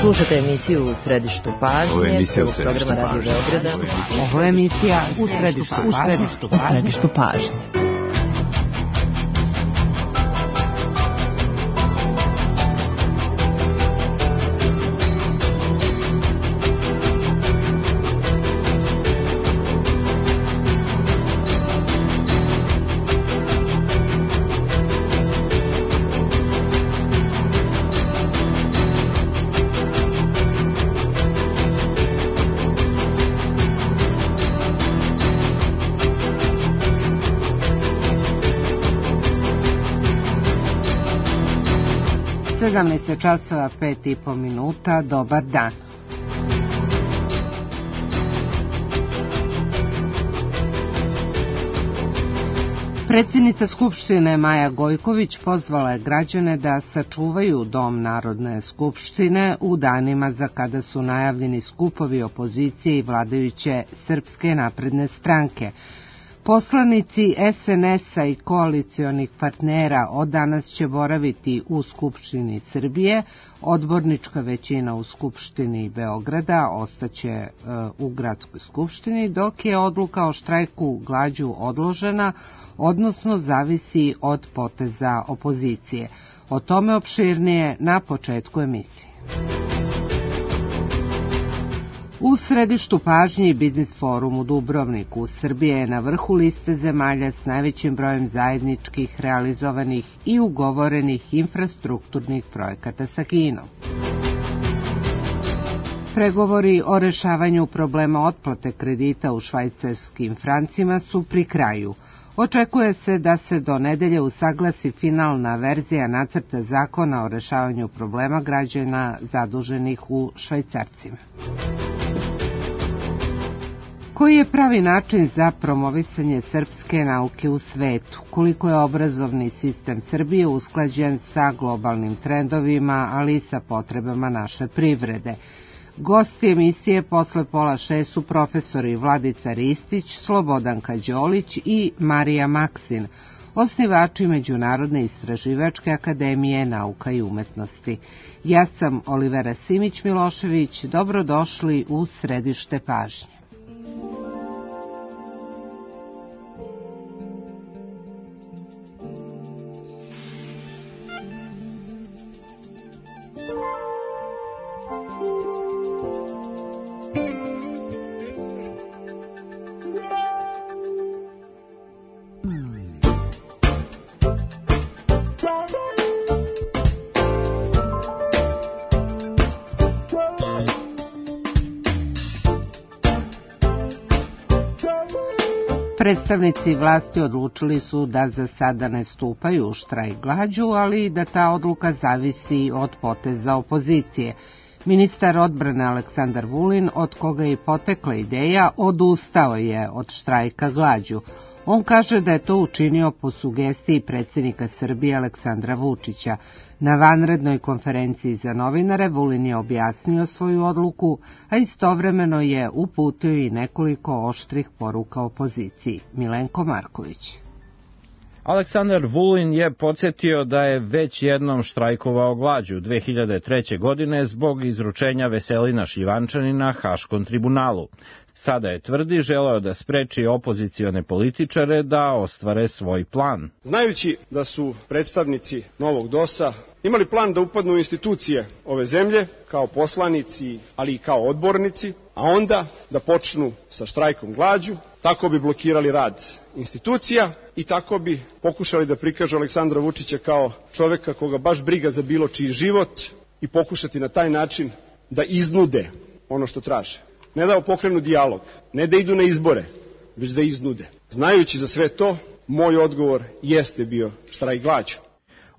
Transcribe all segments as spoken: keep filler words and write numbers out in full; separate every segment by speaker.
Speaker 1: Slušate emisiju U središtu pažnje, prvog programa Radio Beograda.
Speaker 2: Ovo je emisija U središtu pažnje. U središtu pažnje. sedamnaest časova pet i po minuta, dobar dan. Predsjednica Skupštine Maja Gojković pozvala je građane da sačuvaju Dom Narodne skupštine u danima za kada su najavljeni skupovi opozicije i vladajuće Srpske napredne stranke. Poslanici es en es-a i koalicionih partnera od danas će boraviti u Skupštini Srbije, odbornička većina u Skupštini Beograda ostaće e, u Gradskoj skupštini, dok je odluka o štrajku glađu odložena, odnosno zavisi od poteza opozicije. O tome opširnije na početku emisije. U središtu pažnje Biznis forum u Dubrovniku. Srbija je na vrhu liste zemalja s najvećim brojem zajedničkih, realizovanih i ugovorenih infrastrukturnih projekata sa Kinom. Pregovori o rešavanju problema otplate kredita u švajcarskim francima su pri kraju. Očekuje se da se do nedelje usaglasi finalna verzija nacrta zakona o rešavanju problema građana zaduženih u švajcarcima. Koji je pravi način za promovisanje srpske nauke u svetu? Koliko je obrazovni sistem Srbije usklađen sa globalnim trendovima, ali i sa potrebama naše privrede? Gosti emisije posle pola šest su profesori Vladica Ristić, Slobodanka Đolić i Marija Maksin, osnivači Međunarodne istraživačke akademije nauka i umetnosti. Ja sam Olivera Simić-Milošević, dobrodošli u središte pažnje. Predstavnici vlasti odlučili su da za sada ne stupaju u štrajk glađu, ali da ta odluka zavisi od poteza opozicije. Ministar odbrane Aleksandar Vulin, od koga je potekla ideja, odustao je od štrajka glađu. On kaže da je to učinio po sugestiji predsjednika Srbije Aleksandra Vučića. Na vanrednoj konferenciji za novinare Vulin je objasnio svoju odluku, a istovremeno je uputio i nekoliko oštrih poruka opoziciji. Milenko Marković.
Speaker 3: Aleksandar Vulin je podsjetio da je već jednom štrajkovao glađu dve hiljade treće. godine zbog izručenja Veselina Šljivančanina Haškom tribunalu. Sada je, tvrdi, želeo da spreči opozicione političare da ostvare svoj plan.
Speaker 4: Znajući da su predstavnici novog dosa imali plan da upadnu u institucije ove zemlje kao poslanici, ali i kao odbornici, a onda da počnu sa štrajkom glađu, tako bi blokirali rad institucija i tako bi pokušali da prikažu Aleksandra Vučića kao čoveka koga baš briga za bilo čiji život i pokušati na taj način da iznude ono što traže. Ne da pokrenu dijalog, ne da idu na izbore, već da iznude. Znajući za sve to, moj odgovor jeste bio štrajk glađu.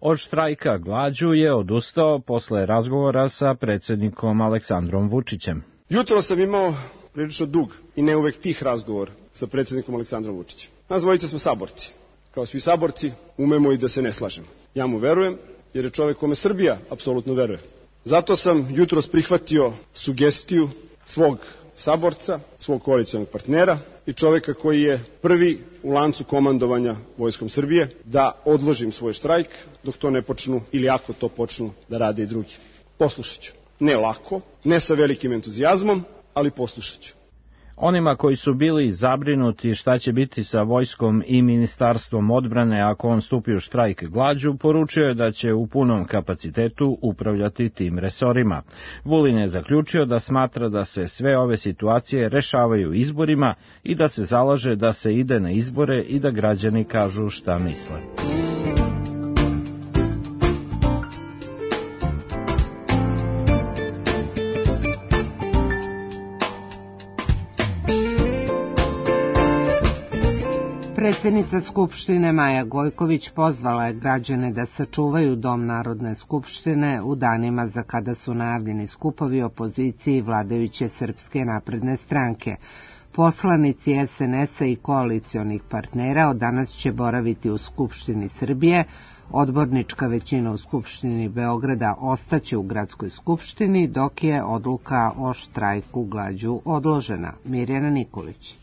Speaker 3: Od štrajka glađu je odustao posle razgovora sa predsjednikom Aleksandrom Vučićem.
Speaker 4: Jutro sam imao prilično dug i ne uvek tih razgovor sa predsjednikom Aleksandrom Vučićem. Nas dvojica smo saborci. Kao svi saborci, umemo i da se ne slažemo. Ja mu verujem, jer je čovek kome Srbija apsolutno veruje. Zato sam jutros prihvatio sugestiju svog saborca, svog koalicionog partnera i čoveka koji je prvi u lancu komandovanja Vojskom Srbije, da odložim svoj štrajk dok to ne počnu ili ako to počnu da rade i drugi. Poslušat ću. ne lako, ne sa velikim entuzijazmom, ali poslušat ću.
Speaker 3: Onima koji su bili zabrinuti šta će biti sa vojskom i ministarstvom odbrane ako on stupi u štrajk glađu, poručio je da će u punom kapacitetu upravljati tim resorima. Vulin je zaključio da smatra da se sve ove situacije rešavaju izborima i da se zalaže da se ide na izbore i da građani kažu šta misle.
Speaker 2: Predsjednica Skupštine Maja Gojković pozvala je građane da sačuvaju Dom Narodne skupštine u danima za kada su najavljeni skupovi opozicije i vladajuće Srpske napredne stranke. Poslanici es en es-a i koalicionih partnera od danas će boraviti u Skupštini Srbije, odbornička većina u Skupštini Beograda ostaće u Gradskoj skupštini, dok je odluka o štrajku glađu odložena. Mirjana Nikolić.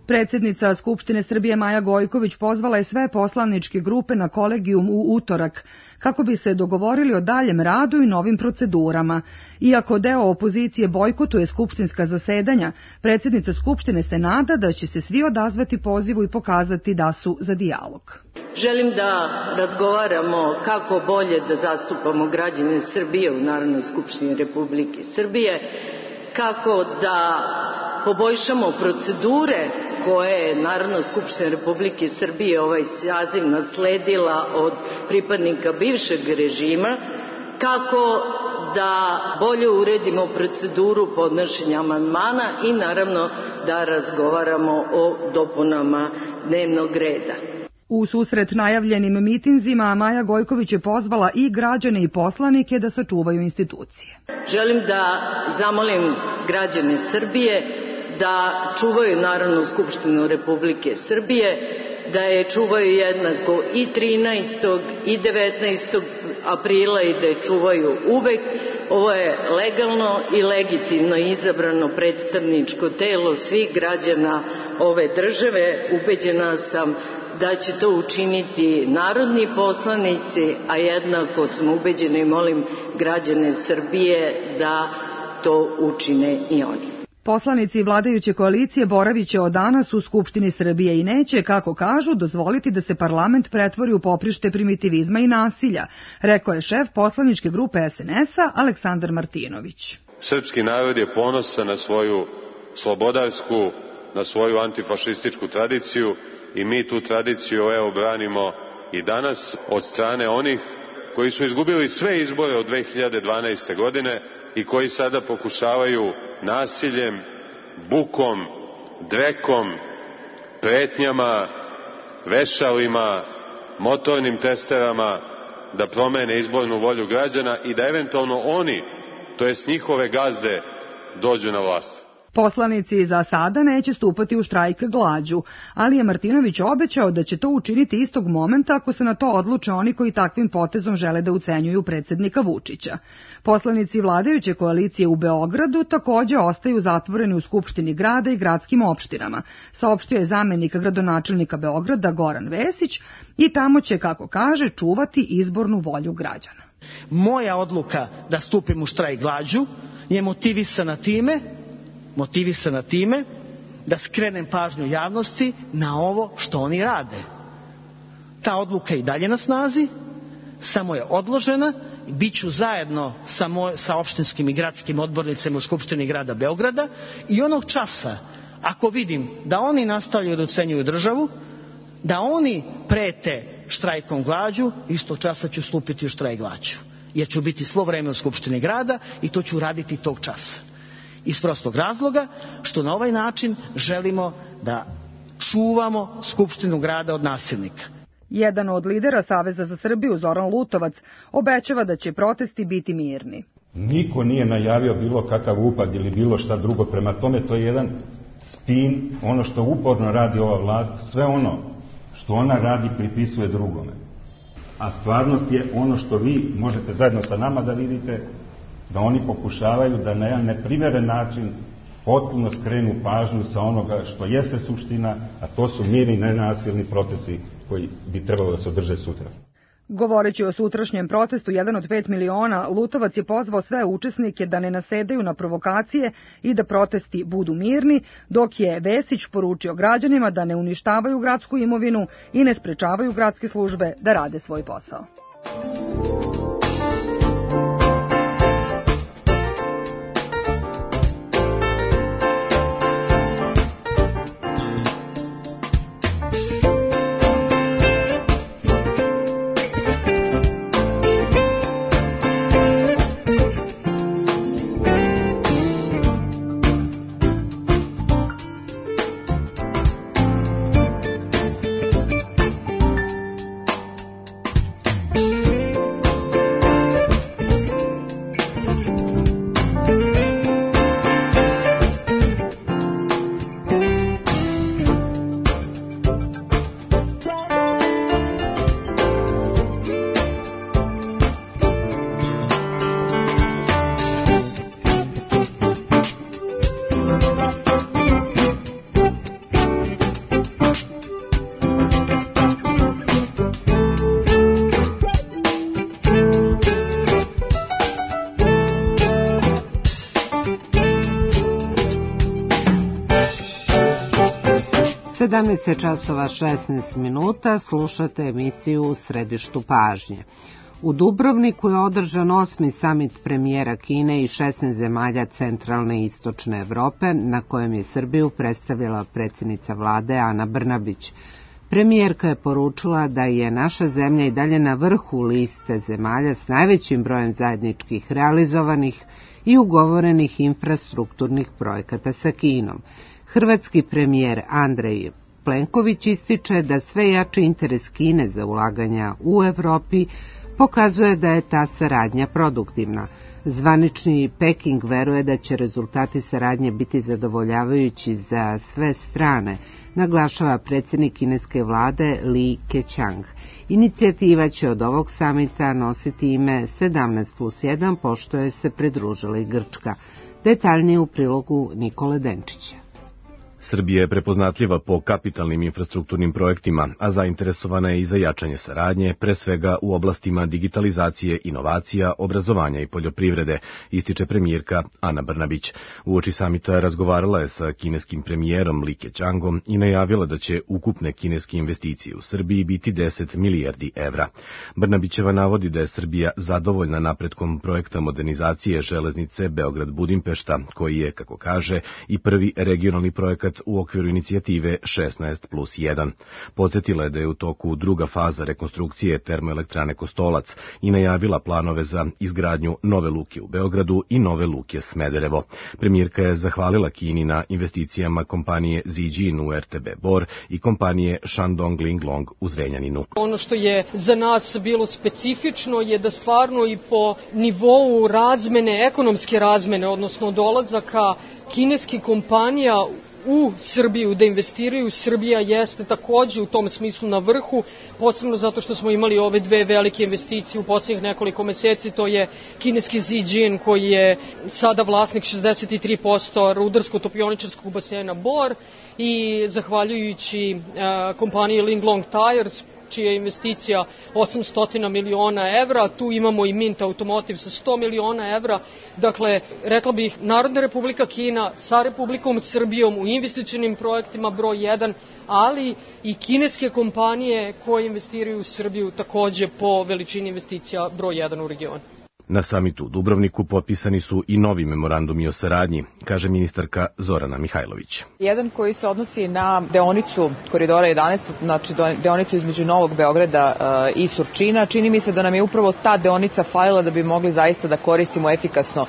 Speaker 5: Predsjednica Skupštine Srbije Maja Gojković pozvala je sve poslaničke grupe na kolegijum u utorak kako bi se dogovorili o daljem radu i novim procedurama. Iako deo opozicije bojkotuje skupštinska zasedanja, predsjednica Skupštine se nada da će se svi odazvati pozivu i pokazati da su za dijalog.
Speaker 6: Želim da razgovaramo kako bolje da zastupamo građane Srbije u Narodnoj skupštini Republike Srbije, kako da poboljšamo procedure koje je Narodna skupština Republike Srbije ovaj saziv nasledila od pripadnika bivšeg režima, kako da bolje uredimo proceduru podnošenja amandmana i naravno da razgovaramo o dopunama dnevnog reda.
Speaker 5: U susret najavljenim mitinzima Maja Gojković je pozvala i građane i poslanike da sačuvaju institucije.
Speaker 6: Želim da zamolim građane Srbije da čuvaju Narodnu skupštinu Republike Srbije, da je čuvaju jednako i trinaestog i devetnaestog aprila i da je čuvaju uvek. Ovo je legalno i legitimno izabrano predstavničko telo svih građana ove države. Ubeđena sam da će to učiniti narodni poslanici, a jednako sam ubeđena i molim građane Srbije da to učine i oni.
Speaker 5: Poslanici vladajuće koalicije boravit će od danas u Skupštini Srbije i neće, kako kažu, dozvoliti da se parlament pretvori u poprište primitivizma i nasilja, rekao je šef poslaničke grupe es en es-a Aleksandar Martinović.
Speaker 7: Srpski narod je ponosan na svoju slobodarsku, na svoju antifašističku tradiciju i mi tu tradiciju evo branimo i danas od strane onih koji su izgubili sve izbore od dve hiljade dvanaeste. godine i koji sada pokušavaju nasiljem, bukom, drekom, pretnjama, vešalima, motornim testerama da promene izbornu volju građana i da eventualno oni, to jest njihove gazde, dođu na vlast.
Speaker 5: Poslanici za sada neće stupati u štrajk glađu, ali je Martinović obećao da će to učiniti istog momenta ako se na to odluče oni koji takvim potezom žele da ucenjuju predsjednika Vučića. Poslanici vladajuće koalicije u Beogradu takođe ostaju zatvoreni u Skupštini grada i gradskim opštinama, saopštio je zamenik gradonačelnika Beograda Goran Vesić i tamo će, kako kaže, čuvati izbornu volju građana.
Speaker 8: Moja odluka da stupim u štrajk glađu je motivisana time motivisana time da skrenem pažnju javnosti na ovo što oni rade. Ta odluka je i dalje na snazi, samo je odložena i bit ću zajedno sa, moj, sa opštinskim i gradskim odbornicima u Skupštini grada Beograda i onog časa, ako vidim da oni nastavljaju da ucenjuju državu, da oni prete štrajkom glađu, istog časa ću stupiti u štrajk glađu. Jer ću biti svo vreme u Skupštini grada i to ću raditi tog časa. Iz prostog razloga što na ovaj način želimo da čuvamo Skupštinu grada od nasilnika.
Speaker 5: Jedan od lidera Saveza za Srbiju, Zoran Lutovac, obećava da će protesti biti mirni.
Speaker 9: Niko nije najavio bilo kakav upad ili bilo šta drugo, prema tome to je jedan spin, ono što uporno radi ova vlast, sve ono što ona radi pripisuje drugome. A stvarnost je ono što vi možete zajedno sa nama da vidite, da oni pokušavaju da na jedan neprimeren način potpuno skrenu pažnju sa onoga što jeste suština, a to su mirni, nenasilni protesti koji bi trebalo da se održe sutra.
Speaker 5: Govoreći o sutrašnjem protestu, jedan od pet miliona, Lutovac je pozvao sve učesnike da ne nasedaju na provokacije i da protesti budu mirni, dok je Vesić poručio građanima da ne uništavaju gradsku imovinu i ne sprečavaju gradske službe da rade svoj posao.
Speaker 2: sedamnaest časova šesnaest minuta, slušate emisiju U središtu pažnje. U Dubrovniku je održan osmi samit premijera Kine i šesnaest zemalja centralne i istočne Evrope, na kojem je Srbiju predstavila predsjednica vlade Ana Brnabić. Premijerka je poručila da je naša zemlja i dalje na vrhu liste zemalja s najvećim brojem zajedničkih realizovanih i ugovorenih infrastrukturnih projekata sa Kinom. Hrvatski premijer Andrej Plenković ističe da sve jači interes Kine za ulaganja u Evropi pokazuje da je ta saradnja produktivna. Zvanični Peking veruje da će rezultati saradnje biti zadovoljavajući za sve strane, naglašava predsjednik kineske vlade Li Keqiang. Inicijativa će od ovog samita nositi ime sedamnaest plus jedan, pošto je se pridružila i Grčka. Detaljnije u prilogu Nikole Denčića.
Speaker 10: Srbija je prepoznatljiva po kapitalnim infrastrukturnim projektima, a zainteresovana je i za jačanje saradnje, pre svega u oblastima digitalizacije, inovacija, obrazovanja i poljoprivrede, ističe premijerka Ana Brnabić. Uoči samita razgovarala je sa kineskim premijerom Li Keqiangom i najavila da će ukupne kineske investicije u Srbiji biti deset milijardi evra. Brnabićeva navodi da je Srbija zadovoljna napretkom projekta modernizacije železnice Beograd-Budimpešta, koji je, kako kaže, i prvi regionalni projekat u okviru inicijative šesnaest plus jedan. Podsjetila je da je u toku druga faza rekonstrukcije termoelektrane Kostolac i najavila planove za izgradnju nove luke u Beogradu i nove luke Smederevo. Premijerka je zahvalila Kini na investicijama kompanije Zijin u R T B Bor i kompanije Shandong Linglong u Zrenjaninu.
Speaker 11: Ono što je za nas bilo specifično je da stvarno i po nivou razmene, ekonomske razmene, odnosno dolazaka kineskih kompanija u Srbiju, da investiraju. Srbija jeste takođe u tom smislu na vrhu, posebno zato što smo imali ove dve velike investicije u posljednjih nekoliko meseci. To je kineski Zijin, koji je sada vlasnik šezdeset tri posto rudarsko-topioničarskog basena Bor, i zahvaljujući uh, kompaniji Linglong Tires, čija je investicija osamsto miliona evra. Tu imamo i Mint Automotive sa sto miliona evra. Dakle, rekla bih, Narodna Republika Kina sa Republikom Srbijom u investicionim projektima broj jedan, ali i kineske kompanije koje investiraju u Srbiju takođe po veličini investicija broj jedan u regionu.
Speaker 10: Na samitu u Dubrovniku potpisani su i novi memorandumi o saradnji, kaže ministarka Zorana Mihajlović.
Speaker 12: Jedan koji se odnosi na deonicu Koridora jedanaest, znači deonicu između Novog Beograda i Surčina. Čini mi se da nam je upravo ta deonica falila da bi mogli zaista da koristimo efikasno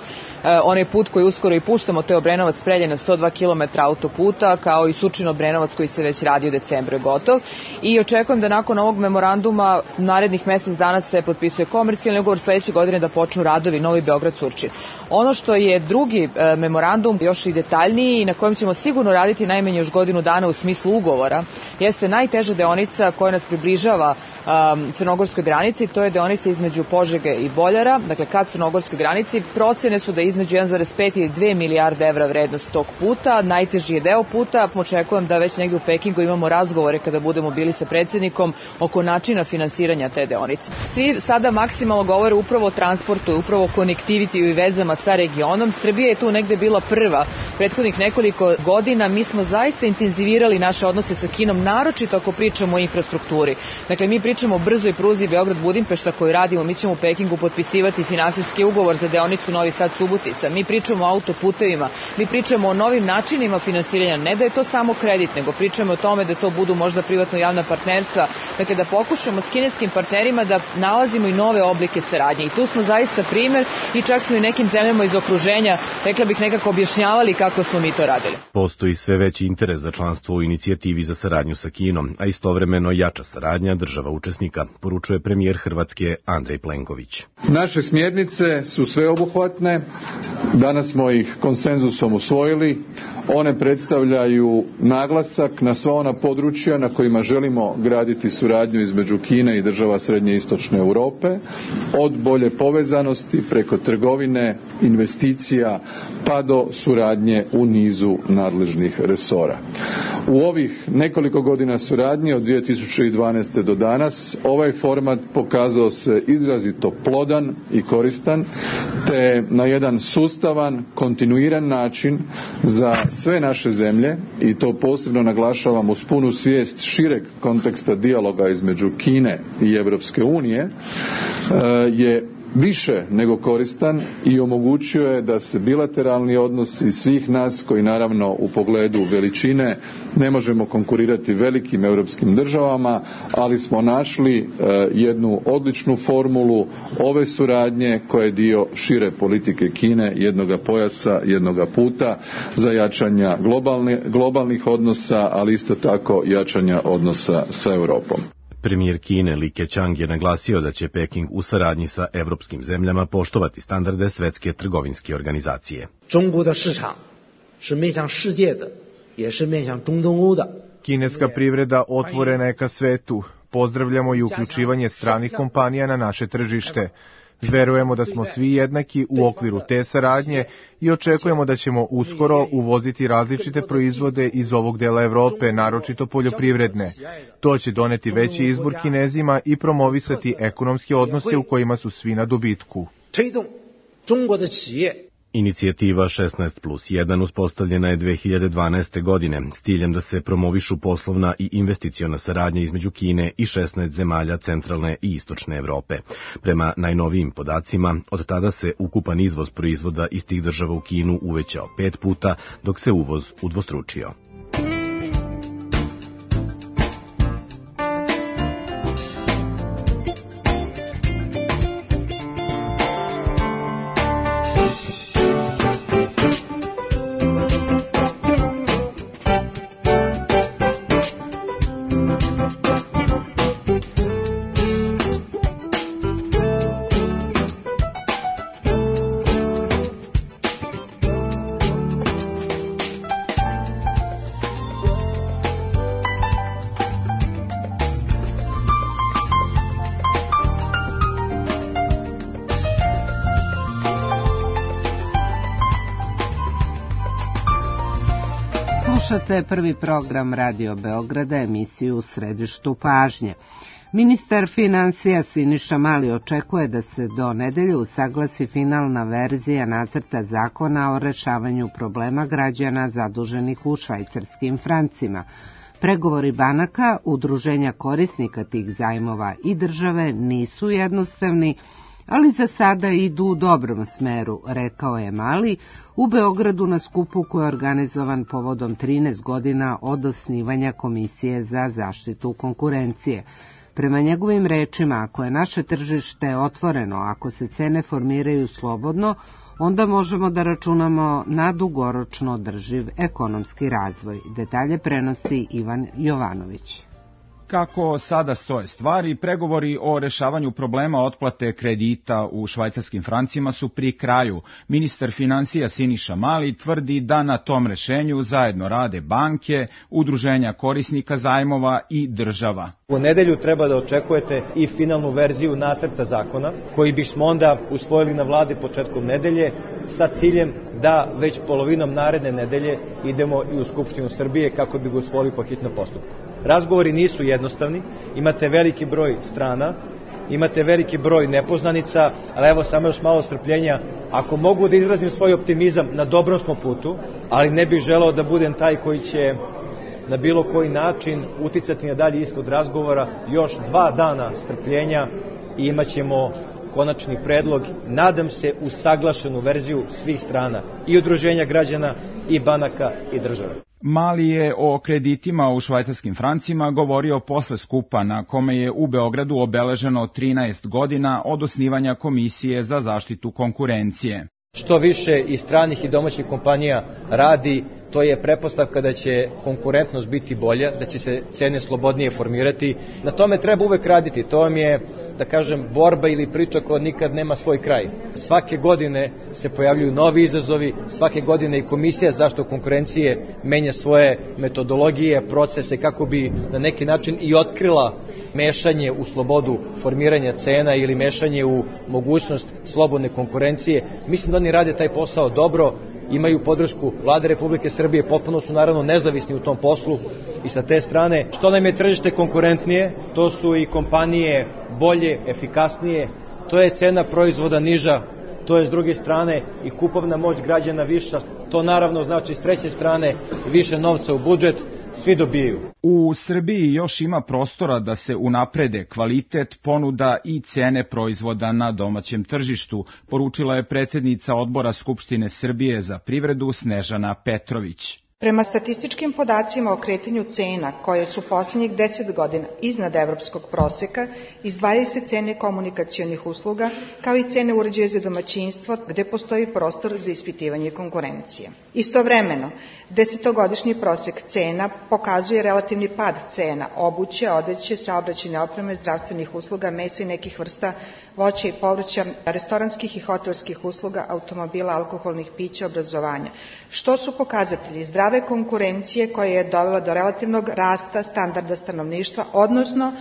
Speaker 12: onaj put koji uskoro i puštamo, to je Obrenovac-Preljina, sto dva kilometra autoputa, kao i Surčin-Obrenovac koji se već radi u decembru je gotov. I očekujem da nakon ovog memoranduma narednih mesec dana se potpisuje komercijalni ugovor, sledeće godine da počnu radovi Novi Beograd-Surčin. Ono što je drugi e, memorandum, još i detaljniji i na kojem ćemo sigurno raditi najmanje još godinu dana u smislu ugovora, jeste najteža deonica koja nas približava um, crnogorskoj granici, to je deonica između Požege i Boljara, dakle ka crnogorskoj granici. Procene su da je između jedan zarez pet i dve milijarde evra vrednost tog puta, najteži je deo puta, očekujem da već negde u Pekingu imamo razgovore kada budemo bili sa predsjednikom oko načina finansiranja te deonice. Svi sada maksimalno govore upravo o transportu, upravo o konektivitiju i vezama sa regionom. Srbija je tu negde bila prva prethodnih nekoliko godina. Mi smo zaista intenzivirali naše odnose sa Kinom, naročito ako pričamo o infrastrukturi. Dakle, mi pričamo o brzoj pruzi Beograd-Budimpešta koju radimo, mi ćemo u Pekingu potpisivati finansijski ugovor za deonicu Novi Sad-Subotica, mi pričamo o autoputevima, mi pričamo o novim načinima finansiranja, ne da je to samo kredit, nego pričamo o tome da to budu možda privatno-javna partnerstva, dakle da pokušamo s kineskim partnerima da nalazimo i nove oblike saradnje. I tu smo zaista primer i čak smo i nekim zemljama iz okruženja, rekla bih, nekako objašnjavali kako smo mi to radili.
Speaker 10: Postoji sve veći interes za članstvo u inicijativi za saradnju sa Kinom, a istovremeno jača saradnja država učesnika, poručuje premijer Hrvatske Andrej Plenković.
Speaker 13: Naše smjernice su sveobuhvatne, danas smo ih konsenzusom usvojili, one predstavljaju naglasak na sva ona područja na kojima želimo graditi suradnju između Kine i država Srednje i Istočne Europe, od bolje povezanosti preko trgovine, investicija pa do suradnje u nizu nadležnih resora. U ovih nekoliko godina suradnje od dvije tisuće dvanaeste. do danas ovaj format pokazao se izrazito plodan i koristan, te na jedan sustavan, kontinuiran način za sve naše zemlje, i to posebno naglašavam uz punu svijest šireg konteksta dijaloga između Kine i Europske unije, je više nego koristan i omogućio je da se bilateralni odnosi svih nas, koji naravno u pogledu veličine ne možemo konkurirati velikim europskim državama, ali smo našli jednu odličnu formulu ove suradnje koja je dio šire politike Kine, jednoga pojasa, jednoga puta za jačanja globalni, globalnih odnosa, ali isto tako jačanja odnosa sa Europom.
Speaker 10: Premijer Kine Li Keqiang je naglasio da će Peking u saradnji sa evropskim zemljama poštovati standarde Svetske trgovinske organizacije.
Speaker 14: Kineska privreda otvorena je ka svetu. Pozdravljamo i uključivanje stranih kompanija na naše tržište. Verujemo da smo svi jednaki u okviru te saradnje i očekujemo da ćemo uskoro uvoziti različite proizvode iz ovog dela Evrope, naročito poljoprivredne. To će doneti veći izbor Kinezima i promovisati ekonomske odnose u kojima su svi na dobitku.
Speaker 10: Inicijativa šesnaest plus jedan uspostavljena je dve hiljade dvanaeste. godine s ciljem da se promovišu poslovna i investiciona saradnja između Kine i šesnaest zemalja centralne i istočne Evrope. Prema najnovijim podacima, od tada se ukupan izvoz proizvoda iz tih država u Kinu uvećao pet puta, dok se uvoz udvostručio.
Speaker 2: Slušate prvi program Radio Beograda, emisiju U središtu pažnje. Ministar financija Siniša Mali očekuje da se do nedelje usaglasi finalna verzija nacrta zakona o rešavanju problema građana zaduženih u švajcarskim francima. Pregovori banaka, udruženja korisnika tih zajmova i države nisu jednostavni, ali za sada idu u dobrom smeru, rekao je Mali u Beogradu na skupu koji je organizovan povodom trinaest godina od osnivanja Komisije za zaštitu konkurencije. Prema njegovim rečima, ako je naše tržište otvoreno, ako se cene formiraju slobodno, onda možemo da računamo na dugoročno održiv ekonomski razvoj. Detalje prenosi Ivan Jovanović.
Speaker 15: Kako sada stoje stvari, pregovori o rešavanju problema otplate kredita u švajcarskim francima su pri kraju. Ministar finansija Siniša Mali tvrdi da na tom rešenju zajedno rade banke, udruženja korisnika zajmova i država.
Speaker 16: U nedelju treba da očekujete i finalnu verziju nacrta zakona, koji bismo onda usvojili na vladi početkom nedelje sa ciljem da već polovinom naredne nedelje idemo i u Skupštinu Srbije kako bi ga usvojili po hitnom postupku. Razgovori nisu jednostavni, imate veliki broj strana, imate veliki broj nepoznanica, ali evo samo još malo strpljenja. Ako mogu da izrazim svoj optimizam, na dobrom smo putu, ali ne bih želeo da budem taj koji će na bilo koji način uticati na dalji ishod razgovora. Još dva dana strpljenja i imat ćemo konačni predlog, nadam se usaglašenu verziju svih strana, i udruženja građana, i banaka, i države.
Speaker 15: Mali je o kreditima u švajcarskim francima govorio posle skupa na kome je u Beogradu obeleženo trinaest godina od osnivanja Komisije za zaštitu konkurencije.
Speaker 16: Što više i stranih i domaćih kompanija radi, to je pretpostavka da će konkurentnost biti bolja, da će se cene slobodnije formirati. Na tome treba uvek raditi, to vam je, da kažem, borba ili priča koja nikad nema svoj kraj. Svake godine se pojavljuju novi izazovi, svake godine i Komisija za zaštitu konkurencije menja svoje metodologije, procese kako bi na neki način i otkrila mešanje u slobodu formiranja cena ili mešanje u mogućnost slobodne konkurencije. Mislim da oni rade taj posao dobro, imaju podršku Vlade Republike Srbije, potpuno su naravno nezavisni u tom poslu i sa te strane što nam je tržište konkurentnije, to su i kompanije bolje, efikasnije, to je cena proizvoda niža, to je s druge strane i kupovna moć građana viša, to naravno znači s treće strane više novca u budžet, svi dobijaju.
Speaker 15: U Srbiji još ima prostora da se unaprede kvalitet, ponuda i cene proizvoda na domaćem tržištu, poručila je predsjednica Odbora Skupštine Srbije za privredu Snežana Petrović.
Speaker 17: Prema statističkim podacima o kretanju cena, koje su posljednjih deset godina iznad evropskog proseka, izdvajaju se cene komunikacionih usluga, kao i cene uređaja za domaćinstvo, gde postoji prostor za ispitivanje konkurencije. Istovremeno, desetogodišnji prosek cena pokazuje relativni pad cena obuće, odeće, saobraćajne opreme, zdravstvenih usluga, mesa i nekih vrsta voća i povrća, restoranskih i hotelskih usluga, automobila, alkoholnih pića, obrazovanja, što su pokazatelji zdrave konkurencije koja je dovela do relativnog rasta standarda stanovništva, odnosno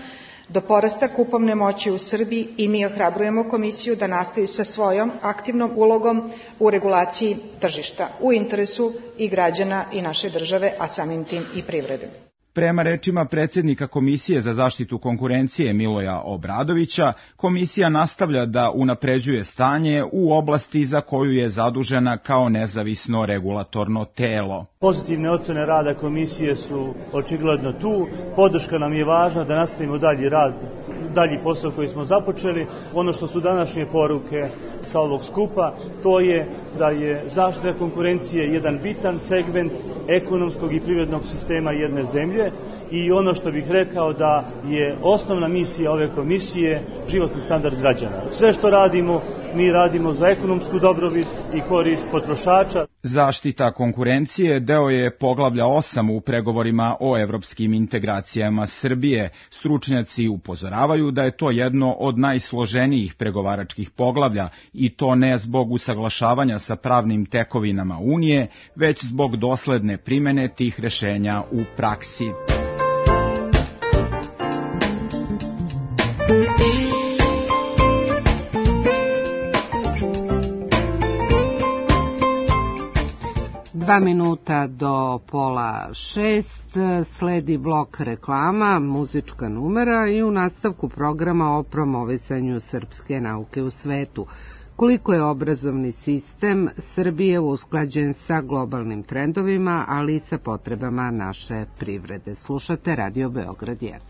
Speaker 17: do porasta kupovne moći u Srbiji, i mi ohrabrujemo Komisiju da nastavi sa svojom aktivnom ulogom u regulaciji tržišta u interesu i građana i naše države, a samim tim i privrede.
Speaker 15: Prema rečima predsjednika Komisije za zaštitu konkurencije Miloja Obradovića, komisija nastavlja da unapređuje stanje u oblasti za koju je zadužena kao nezavisno regulatorno telo.
Speaker 18: Pozitivne ocene rada komisije su očigledno tu, podrška nam je važna da nastavimo dalji rad, dalji posao koji smo započeli. Ono što su današnje poruke sa ovog skupa, to je da je zaštita konkurencije jedan bitan segment ekonomskog i privrednog sistema jedne zemlje, i ono što bih rekao da je osnovna misija ove komisije životni standard građana. Sve što radimo, mi radimo za ekonomsku dobrobit i korist potrošača.
Speaker 15: Zaštita konkurencije deo je poglavlja osam u pregovorima o evropskim integracijama Srbije. Stručnjaci upozoravaju da je to jedno od najsloženijih pregovaračkih poglavlja, i to ne zbog usaglašavanja sa pravnim tekovinama Unije, već zbog dosledne primene tih rešenja u praksi.
Speaker 2: Dva minuta do pola šest, sledi blok reklama, muzička numera i u nastavku programa o promovisanju srpske nauke u svetu. Koliko je obrazovni sistem Srbije usklađen sa globalnim trendovima, ali i sa potrebama naše privrede. Slušate Radio Beograd jedan.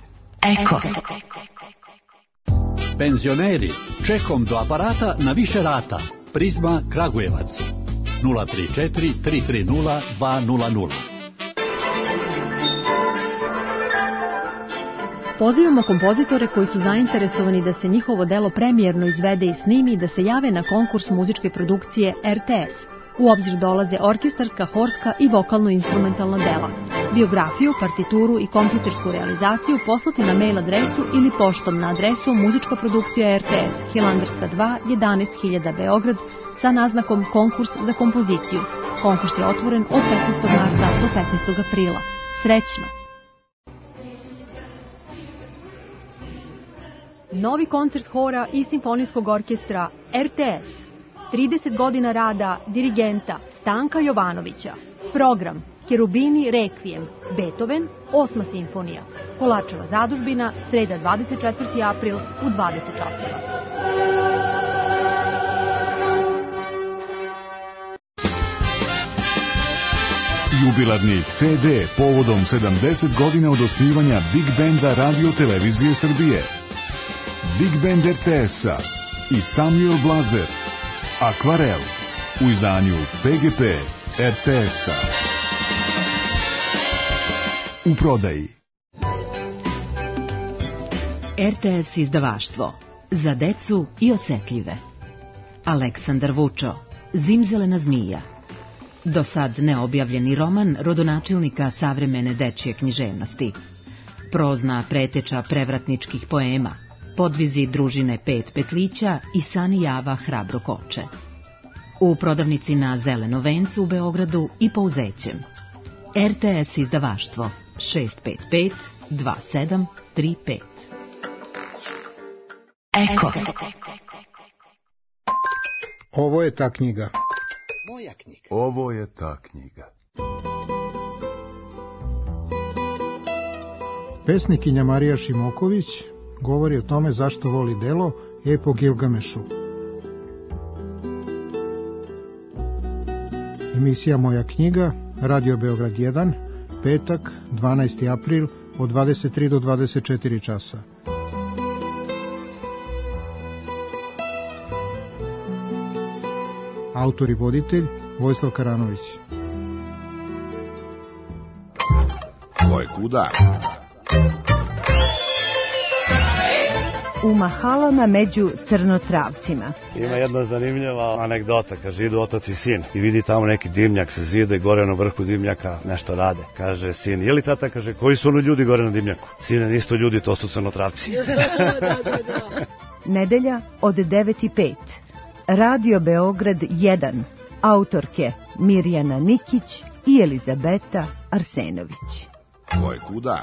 Speaker 19: Eko. Penzioneri, čekom do aparata na više rata. Prizma Kragujevac. nula tri četiri tri tri nula dva nula nula.
Speaker 20: Pozivamo kompozitore koji su zainteresovani da se njihovo delo premijerno izvede i snimi, da se jave na konkurs muzičke produkcije R T S U obzir dolaze orkestarska, horska i vokalno-instrumentalna dela. Biografiju, partituru i kompjutersku realizaciju poslate na mail adresu ili poštom na adresu Muzička produkcija R T S, Hilandarska dva, jedanaest hiljada Beograd, sa naznakom Konkurs za kompoziciju. Konkurs je otvoren od petnaestog marta do petnaestog aprila. Srećno! Novi koncert hora i simfonijskog orkestra R T S. trideset godina rada dirigenta Stanka Jovanovića. Program Cherubini Requiem, Beethoven, osma simfonija. Kolačeva zadužbina, sreda dvadeset četvrti april u dvadeset časova.
Speaker 21: Jubilarni C D povodom sedamdeset godina od osnivanja Big Benda Radio Televizije Srbije. Big Band R T S-a i Samuel Blazer. Akvarel u izdanju P G P R T S-a. U prodaji.
Speaker 22: R T S izdavaštvo. Za decu i osetljive. Aleksandar Vučo. Zimzelena zmija. Do sad neobjavljeni roman rodonačelnika savremene dečje književnosti. Prozna preteča prevratničkih poema. Podvizi družine Pet Petlića i Sani Java Hrabro koče. U prodavnici na Zeleno vencu u Beogradu i Pouzećem. R T S izdavaštvo šest pet pet dva sedam tri pet.
Speaker 23: Eko. Ovo je ta knjiga.
Speaker 24: Moja knjiga.
Speaker 25: Ovo je ta knjiga.
Speaker 23: Pesnikinja Marija Šimoković govori o tome zašto voli delo Epo Gilgamešu. Emisija Moja knjiga, Radio Beograd jedan, petak, dvanaesti april, od dvadeset tri do dvadeset četiri časa. Autor i voditelj Vojislav Karanović.
Speaker 25: Ko je kuda?
Speaker 26: U mahalama među crnotravcima.
Speaker 27: Ima jedna zanimljiva anegdota, kaže idu otac i sin i vidi tamo neki dimnjak se zide, gore na vrhu dimnjaka nešto rade. Kaže sin, je li tata, kaže, koji su ono ljudi gore na dimnjaku? Sine, nisto ljudi, to su crnotravci.
Speaker 26: da, da, da. Nedelja od devet i pet. Radio Beograd jedan. Autorke Mirjana Nikić i Elizabeta Arsenović.
Speaker 25: Ko je kuda?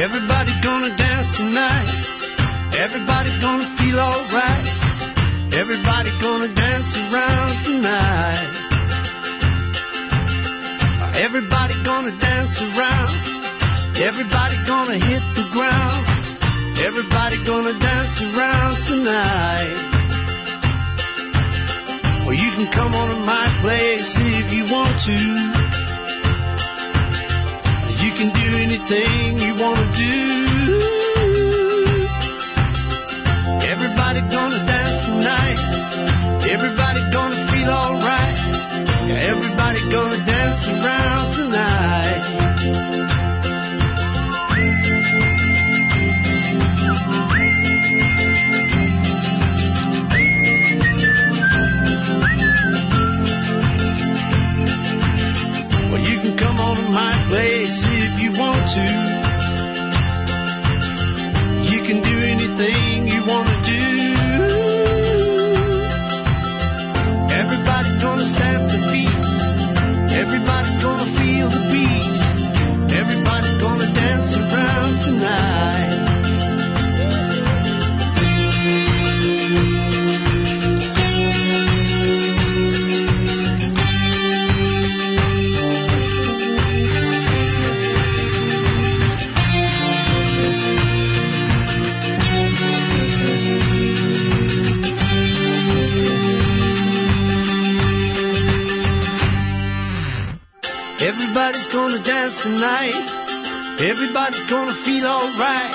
Speaker 28: Everybody gonna dance tonight. Everybody gonna feel alright. Everybody gonna dance around tonight. Everybody gonna dance around. Everybody gonna hit the ground. Everybody gonna dance around tonight. Well, you can come on to my place if you want to. You can do anything you want to do. Everybody gonna dance tonight. Everybody gonna feel alright. Everybody gonna dance around tonight. Well, you can come on to my place if you want to. You can do anything you want to do. Everybody's gonna stamp their feet. Everybody's gonna feel the beat. Everybody's gonna dance around tonight. Everybody's gonna dance tonight. Everybody's gonna feel alright.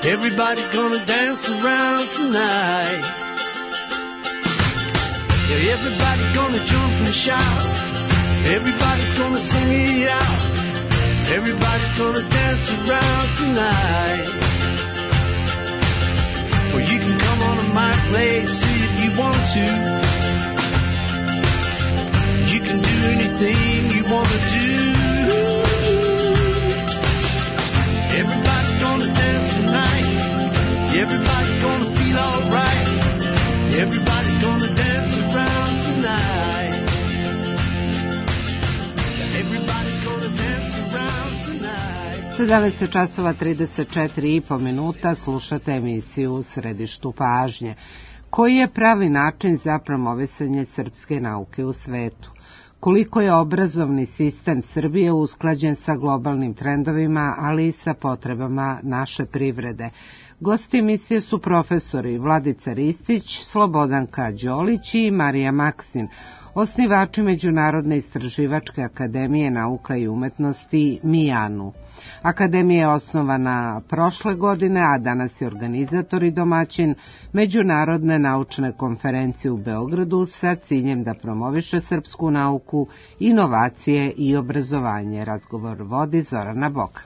Speaker 28: Everybody's gonna dance around tonight. Yeah, everybody's gonna jump and shout. Everybody's gonna sing me out. Everybody's gonna dance around tonight. Well, you can come on to my place, see if you want to. You can do anything you want to do. Everybody's gonna dance tonight. Everybody's gonna feel alright. Everybody's gonna dance around tonight. Everybody's gonna dance around tonight.
Speaker 2: sedamnaest časova trideset četiri i po minuta, slušate emisiju U središtu pažnje. Koji je pravi način za promovisanje srpske nauke u svetu? Koliko je obrazovni sistem Srbije usklađen sa globalnim trendovima, ali i sa potrebama naše privrede? Gosti emisije su profesori Vladica Ristić, Slobodanka Đolić i Marija Maksin, osnivači Međunarodne istraživačke akademije nauka i umetnosti MIANU. Akademija je osnovana prošle godine, a danas je organizator i domaćin Međunarodne naučne konferencije u Beogradu sa ciljem da promoviše srpsku nauku, inovacije i obrazovanje. Razgovor vodi Zorana Bokan.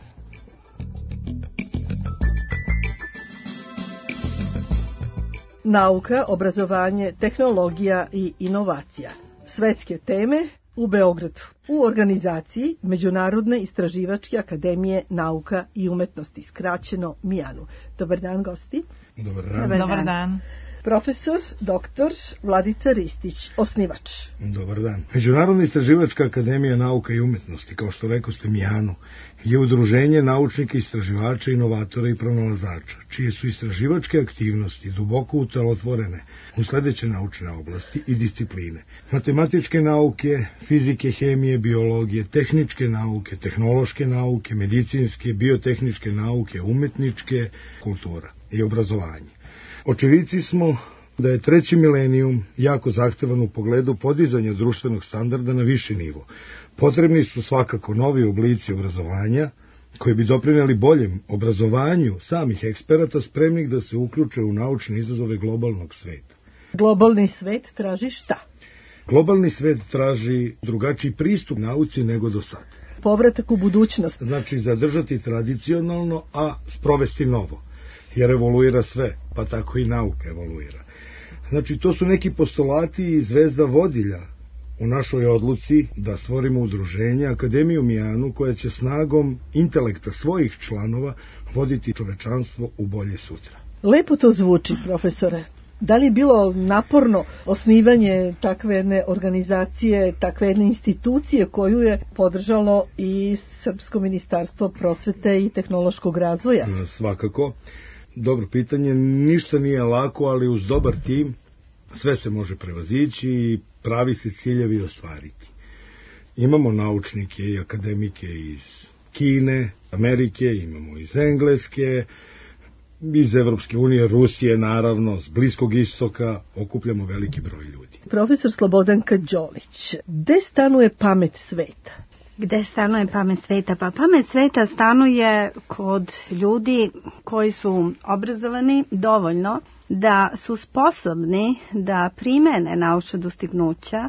Speaker 1: Nauka, obrazovanje, tehnologija i inovacija. Svetske teme u Beogradu, u organizaciji Međunarodne istraživačke akademije nauka i umetnosti, skraćeno MIANU. Dobar dan, gosti.
Speaker 3: Dobar dan. Dobar dan. Dobar dan.
Speaker 1: Profesor doktor Vladica Ristić, osnivač.
Speaker 3: Dobar dan. Međunarodna istraživačka akademija nauka i umetnosti, kao što rekao ste MIANU, je udruženje naučnika, istraživača, inovatora i pronalazača, čije su istraživačke aktivnosti duboko utelotvorene u sledeće naučne oblasti i discipline: matematičke nauke, fizike, hemije, biologije, tehničke nauke, tehnološke nauke, medicinske, biotehničke nauke, umetničke, kultura i obrazovanje. Očevici smo da je treći milenijum jako zahtevan u pogledu podizanja društvenog standarda na viši nivo. Potrebni su svakako novi oblici obrazovanja koji bi doprineli boljem obrazovanju samih eksperata spremnih da se uključe u naučne izazove globalnog sveta.
Speaker 1: Globalni svet traži šta?
Speaker 3: Globalni svet traži drugačiji pristup nauci nego do sada.
Speaker 1: Povratak u budućnost.
Speaker 3: Znači zadržati tradicionalno, a sprovesti novo. Jer evoluira sve, pa tako i nauka evoluira. Znači, to su neki postulati i zvezda vodilja u našoj odluci da stvorimo udruženje, Akademiju MIANU, koja će snagom intelekta svojih članova voditi čovečanstvo u bolje sutra.
Speaker 1: Lepo to zvuči, profesore. Da li je bilo naporno osnivanje takve jedne organizacije, takve jedne institucije koju je podržalo i Srpsko ministarstvo prosvete i tehnološkog razvoja?
Speaker 3: Svakako. Dobro pitanje, ništa nije lako, ali uz dobar tim sve se može prevazići i pravi se ciljevi ostvariti. Imamo naučnike i akademike iz Kine, Amerike, imamo iz Engleske, iz Evropske unije, Rusije, naravno, s Bliskog istoka, okupljamo veliki broj ljudi.
Speaker 1: Profesor Slobodanka Đolić, gde stanuje pamet sveta?
Speaker 4: Gde stanuje pamet sveta? Pa pamet sveta stanuje kod ljudi koji su obrazovani dovoljno da su sposobni da primene naučna dostignuća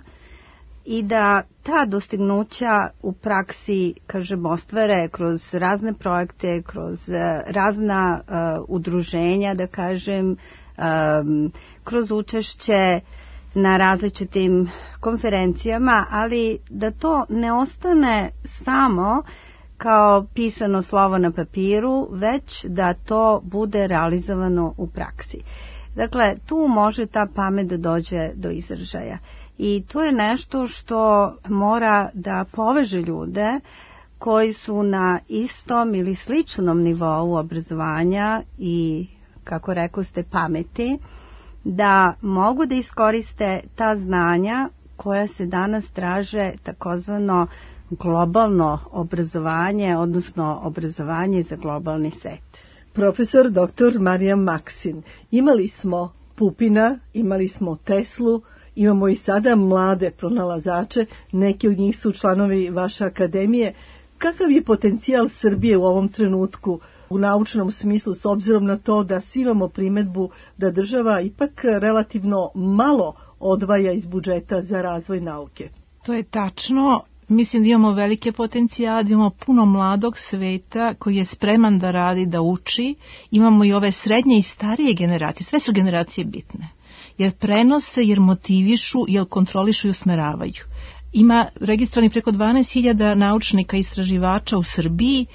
Speaker 4: i da ta dostignuća u praksi, kažem, ostvare kroz razne projekte, kroz razna uh, udruženja, da kažem, um, kroz učešće na različitim konferencijama, ali da to ne ostane samo kao pisano slovo na papiru, već da to bude realizovano u praksi. Dakle, tu može ta pamet da dođe do izražaja. I to je nešto što mora da poveže ljude koji su na istom ili sličnom nivou obrazovanja i, kako rekao ste, pameti, da mogu da iskoriste ta znanja koja se danas traže takozvano globalno obrazovanje, odnosno obrazovanje za globalni svet.
Speaker 1: Profesor doktor Marija Maksin, imali smo Pupina, imali smo Teslu, imamo i sada mlade pronalazače, neki od njih su članovi vaše akademije. Kakav je potencijal Srbije u ovom trenutku u naučnom smislu, s obzirom na to da svi imamo primetbu da država ipak relativno malo odvaja iz budžeta za razvoj nauke.
Speaker 5: To je tačno. Mislim da imamo velike potencijale, da imamo puno mladog sveta koji je spreman da radi, da uči. Imamo i ove srednje i starije generacije. Sve su generacije bitne. Jer prenose, jer motivišu, jer kontrolišu i usmeravaju. Ima registrovanih preko dvanaest hiljada naučnika i istraživača u Srbiji.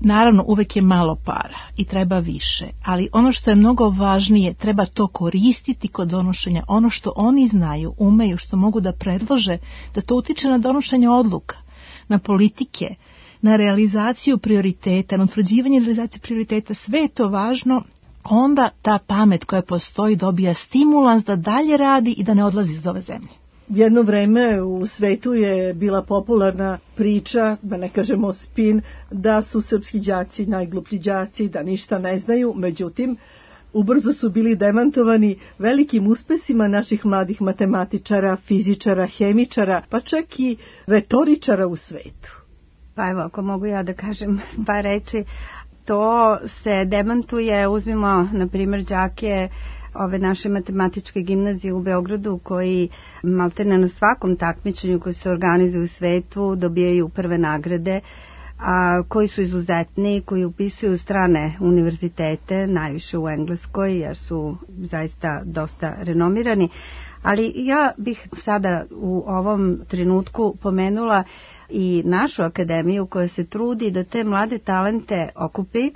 Speaker 5: Naravno, uvek je malo para i treba više, ali ono što je mnogo važnije, treba to koristiti kod donošenja. Ono što oni znaju, umeju, što mogu da predlože, da to utiče na donošenje odluka, na politike, na realizaciju prioriteta, na utvrđivanje i realizaciju prioriteta, sve je to važno. Onda ta pamet koja postoji dobija stimulans da dalje radi i da ne odlazi iz ove zemlje.
Speaker 1: Jedno vreme u svetu je bila popularna priča, da ne kažemo spin, da su srpski đaci najgluplji đaci, da ništa ne znaju. Međutim, ubrzo su bili demantovani velikim uspesima naših mladih matematičara, fizičara, hemičara, pa čak i retoričara u svetu.
Speaker 4: Pa evo, ako mogu ja da kažem par reči, to se demantuje, uzmimo na primjer đake ove naše matematičke gimnazije u Beogradu koji maltene na svakom takmičenju koji se organizuju u svetu dobijaju prve nagrade, a koji su izuzetni, koji upisuju strane univerzitete, najviše u Engleskoj jer su zaista dosta renomirani. Ali ja bih sada u ovom trenutku pomenula i našu akademiju koja se trudi da te mlade talente okupi.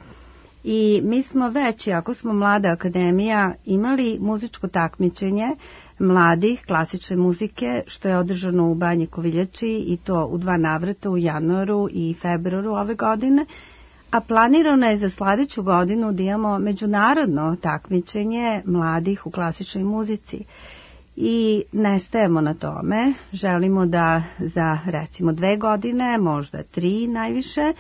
Speaker 4: I mi smo već, ako smo mlada akademija, imali muzičko takmičenje mladih klasične muzike, što je održano u Banji Koviljači i to u dva navrata u januaru i februaru ove godine. A planirano je za sljedeću godinu da imamo međunarodno takmičenje mladih u klasičnoj muzici. I ne stajemo na tome, želimo da za recimo dve godine, možda tri najviše,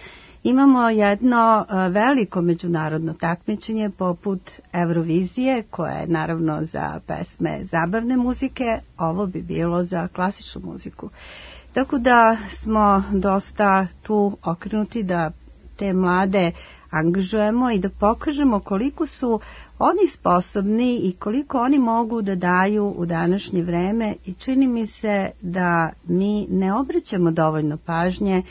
Speaker 4: imamo jedno veliko međunarodno takmičenje poput Eurovizije, koje je naravno za pesme zabavne muzike, ovo bi bilo za klasičnu muziku. Tako da smo dosta tu okrenuti da te mlade angažujemo i da pokažemo koliko su oni sposobni i koliko oni mogu da daju u današnje vreme i čini mi se da mi ne obraćamo dovoljno pažnje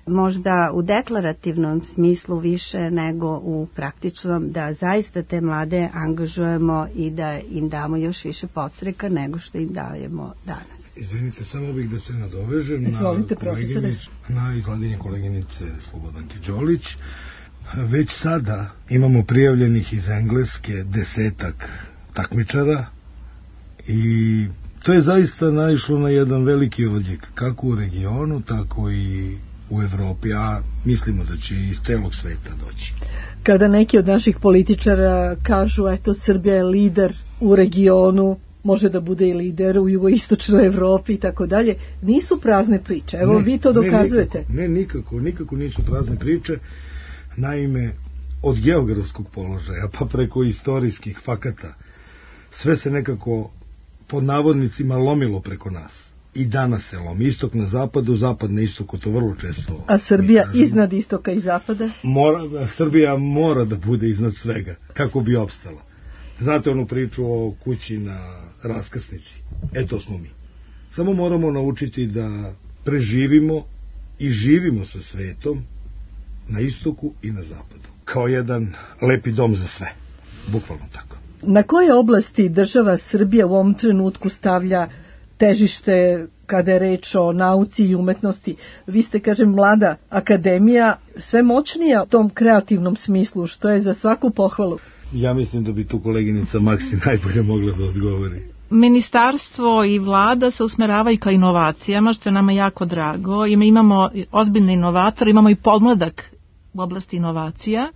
Speaker 4: možda u deklarativnom smislu više nego u praktičnom, da zaista te mlade angažujemo i da im damo još više podstreka nego što im dajemo danas.
Speaker 3: Izvinite, samo bih da se nadovežem na, na izlaganje koleginice Slobodanke Đolić. Već sada imamo prijavljenih iz Engleske desetak takmičara i to je zaista naišlo na jedan veliki odjek, kako u regionu, tako i u Evropi, a mislimo da će iz celog sveta doći.
Speaker 1: Kada neki od naših političara kažu, eto, Srbija je lider u regionu, može da bude i lider u jugoistočnoj Evropi i tako dalje, nisu prazne priče. Evo, ne, vi to dokazujete.
Speaker 3: Ne, nikako, ne, nikako, nikako nisu prazne priče. Naime, od geografskog položaja pa preko istorijskih fakata sve se nekako pod navodnicima lomilo preko nas. I danas se lomi, istok na zapadu, zapad na istoku, to vrlo često.
Speaker 1: A Srbija iznad istoka i zapada?
Speaker 3: Mora, Srbija mora da bude iznad svega, kako bi opstala. Znate onu priču o kući na raskrsnici? E, to smo mi. Samo moramo naučiti da preživimo i živimo sa svetom na istoku i na zapadu. Kao jedan lepi dom za sve. Bukvalno tako.
Speaker 1: Na koje oblasti država Srbija u ovom trenutku stavlja težište kada je reč o nauci i umetnosti? Vi ste, kažem, mlada akademija, sve moćnija u tom kreativnom smislu, što je za svaku pohvalu.
Speaker 3: Ja mislim da bi tu koleginica Maksi najbolje mogla da odgovori.
Speaker 5: Ministarstvo i vlada se usmeravaju ka inovacijama, što je nama jako drago. Imamo ozbiljne inovatore, imamo i podmladak u oblasti inovacija.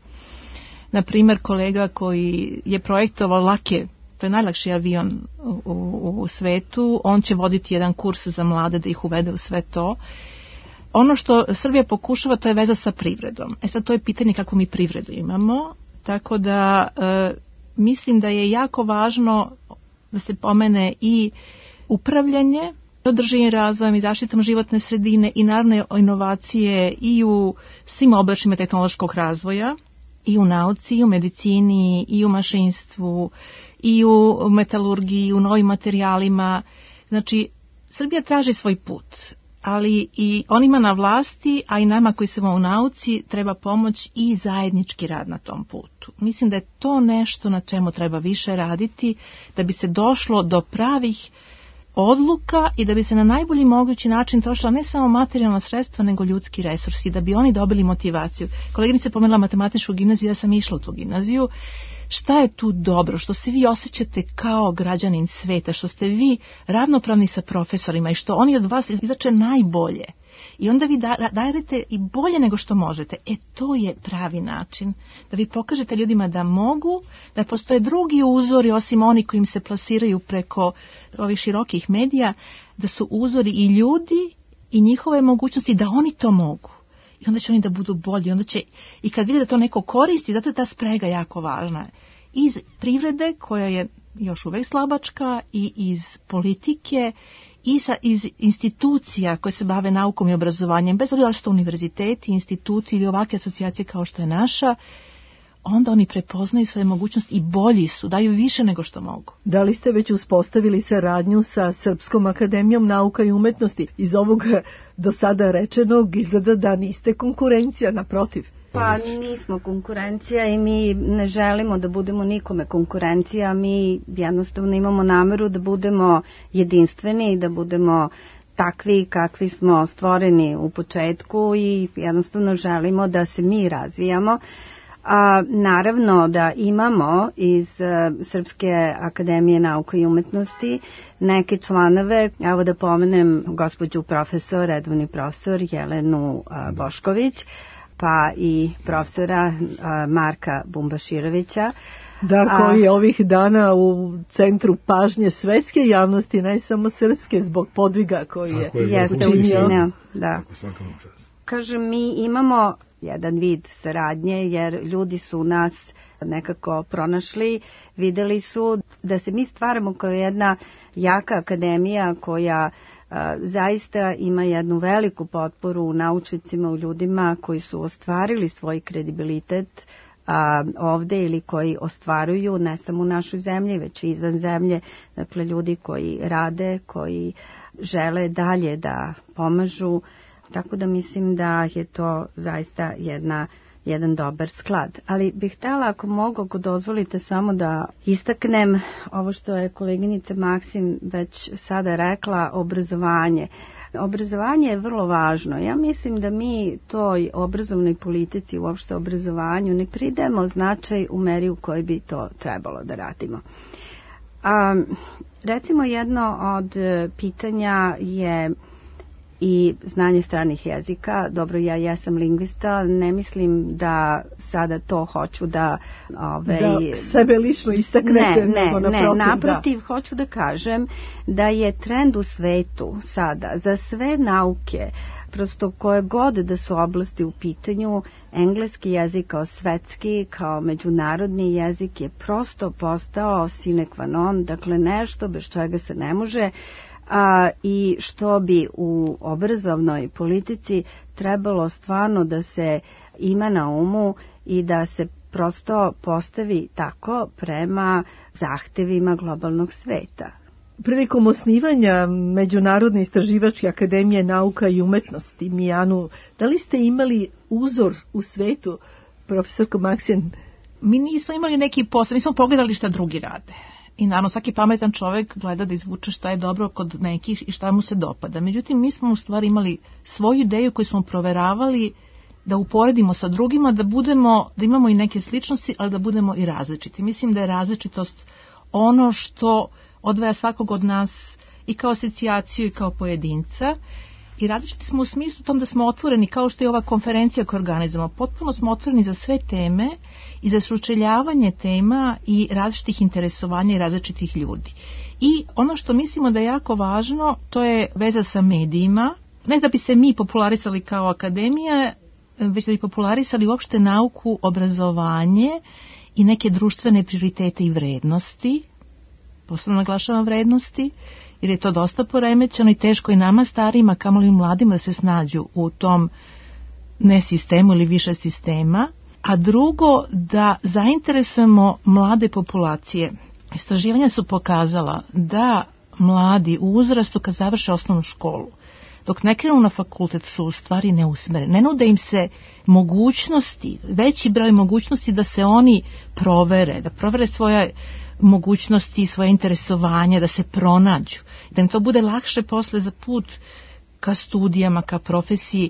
Speaker 5: Na primjer, kolega koji je projektovao lake, to je najlakši avion u, u, u svetu, on će voditi jedan kurs za mlade da ih uvede u sve to. Ono što Srbija pokušava, to je veza sa privredom. E sad, to je pitanje kako mi privredu imamo, tako da e, mislim da je jako važno da se pomene i upravljanje, održivim razvojem i zaštitom životne sredine i naravno inovacije i u svim oblačima tehnološkog razvoja. i u nauci, i u medicini, i u mašinstvu, i u metalurgiji, i u novim materijalima. Znači, Srbija traži svoj put, ali i onima na vlasti, a i nama koji smo u nauci, treba pomoć i zajednički rad na tom putu. Mislim da je to nešto na čemu treba više raditi, da bi se došlo do pravih odluka i da bi se na najbolji mogući način trošila ne samo materijalna sredstva, nego ljudski resursi, da bi oni dobili motivaciju. Koleginica pomenula matematičku gimnaziju, ja sam išla u tu gimnaziju. Šta je tu dobro? Što se vi osjećate kao građanin sveta, što ste vi ravnopravni sa profesorima i što oni od vas izlače najbolje. I onda vi dajete i bolje nego što možete. E, to je pravi način. Da vi pokažete ljudima da mogu, da postoje drugi uzori osim oni koji im se plasiraju preko ovih širokih medija, da su uzori i ljudi i njihove mogućnosti, da oni to mogu. I onda će oni da budu bolji. Onda će, i kad vide da to neko koristi, zato je ta sprega jako važna. Iz privrede, koja je još uvek slabačka, i iz politike, i sa, iz institucija koje se bave naukom i obrazovanjem, bez obzira što univerziteti, instituti ili ovakve asocijacije kao što je naša, onda oni prepoznaju svoje mogućnosti i bolji su, daju više nego što mogu.
Speaker 1: Da li ste već uspostavili saradnju sa Srpskom akademijom nauka i umetnosti? Iz ovog do sada rečenog izgleda da niste konkurencija, naprotiv.
Speaker 4: Pa nismo konkurencija i mi ne želimo da budemo nikome konkurencija, mi jednostavno imamo nameru da budemo jedinstveni i da budemo takvi kakvi smo stvoreni u početku i jednostavno želimo da se mi razvijamo. A, naravno da imamo iz uh, Srpske akademije nauka i umetnosti neke članove, evo da pomenem gospođu profesor, redovni profesor Jelenu uh, Bošković, pa i profesora uh, Marka Bumbaširovića.
Speaker 1: Da, koji je ovih dana u centru pažnje svetske javnosti, ne samo srpske, zbog podviga koji je,
Speaker 4: je jeste učinio. Da. Kažem, mi imamo jedan vid saradnje jer ljudi su nas nekako pronašli, videli su da se mi stvaramo kao jedna jaka akademija koja a, zaista ima jednu veliku potporu u naučnicima, u ljudima koji su ostvarili svoj kredibilitet a, ovde ili koji ostvaruju ne samo u našoj zemlji, već i izvan zemlje, dakle ljudi koji rade, koji žele dalje da pomažu. Tako da mislim da je to zaista jedna, jedan dobar sklad. Ali bih htjela, ako mogu, ako dozvolite, samo da istaknem ovo što je koleginica Maksim već sada rekla, obrazovanje. Obrazovanje je vrlo važno. Ja mislim da mi toj obrazovnoj politici, uopšte obrazovanju, ne pridemo značaj u meri u kojoj bi to trebalo da radimo. A, recimo jedno od pitanja je i znanje stranih jezika. Dobro, ja jesam lingvista, ne mislim da sada to hoću da... Ove,
Speaker 1: da sebe lično istaknete.
Speaker 4: Ne, ne,
Speaker 1: naprotiv,
Speaker 4: ne, naprotiv, da. Hoću da kažem da je trend u svetu sada za sve nauke, prosto koje god da su oblasti u pitanju, engleski jezik kao svetski, kao međunarodni jezik je prosto postao sine qua non, dakle nešto bez čega se ne može. A, i što bi u obrazovnoj politici trebalo stvarno da se ima na umu i da se prosto postavi tako prema zahtevima globalnog sveta.
Speaker 1: Prilikom osnivanja Međunarodne istraživačke akademije nauka i umetnosti, Mijanu, da li ste imali uzor u svetu, profesorko Maksim?
Speaker 5: Mi nismo imali neki posao, mi smo pogledali šta drugi rade. I naravno svaki pametan čovjek gleda da izvuče šta je dobro kod nekih i šta mu se dopada. Međutim, mi smo u stvari imali svoju ideju koju smo proveravali da uporedimo sa drugima, da budemo, da imamo i neke sličnosti, ali da budemo i različiti. Mislim da je različitost ono što odvaja svakog od nas i kao asocijaciju i kao pojedinca. I različiti smo u smislu tom da smo otvoreni, kao što je ova konferencija koju organizujemo. Potpuno smo otvoreni za sve teme i za sučeljavanje tema i različitih interesovanja i različitih ljudi. I ono što mislimo da je jako važno, to je veza sa medijima. Ne da bi se mi popularisali kao akademija, već da bi popularisali uopšte nauku, obrazovanje i neke društvene prioritete i vrednosti. Posebno naglašavam vrednosti, jer je to dosta poremećeno i teško i nama starima, kamoli mladima da se snađu u tom ne sistemu ili više sistema. a drugo da zainteresujemo mlade populacije. Istraživanja su pokazala da mladi u uzrastu kad završe osnovnu školu, dok ne krenu na fakultet, su u stvari neusmereni. Ne nude im se mogućnosti, veći broj mogućnosti da se oni provere, da provere svoje mogućnosti, svoje interesovanje, da se pronađu, da im to bude lakše posle za put ka studijama, ka profesiji.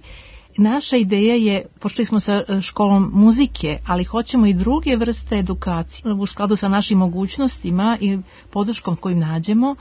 Speaker 5: Naša ideja je, počeli smo sa školom muzike, ali hoćemo i druge vrste edukacije u skladu sa našim mogućnostima i podrškom koju nađemo,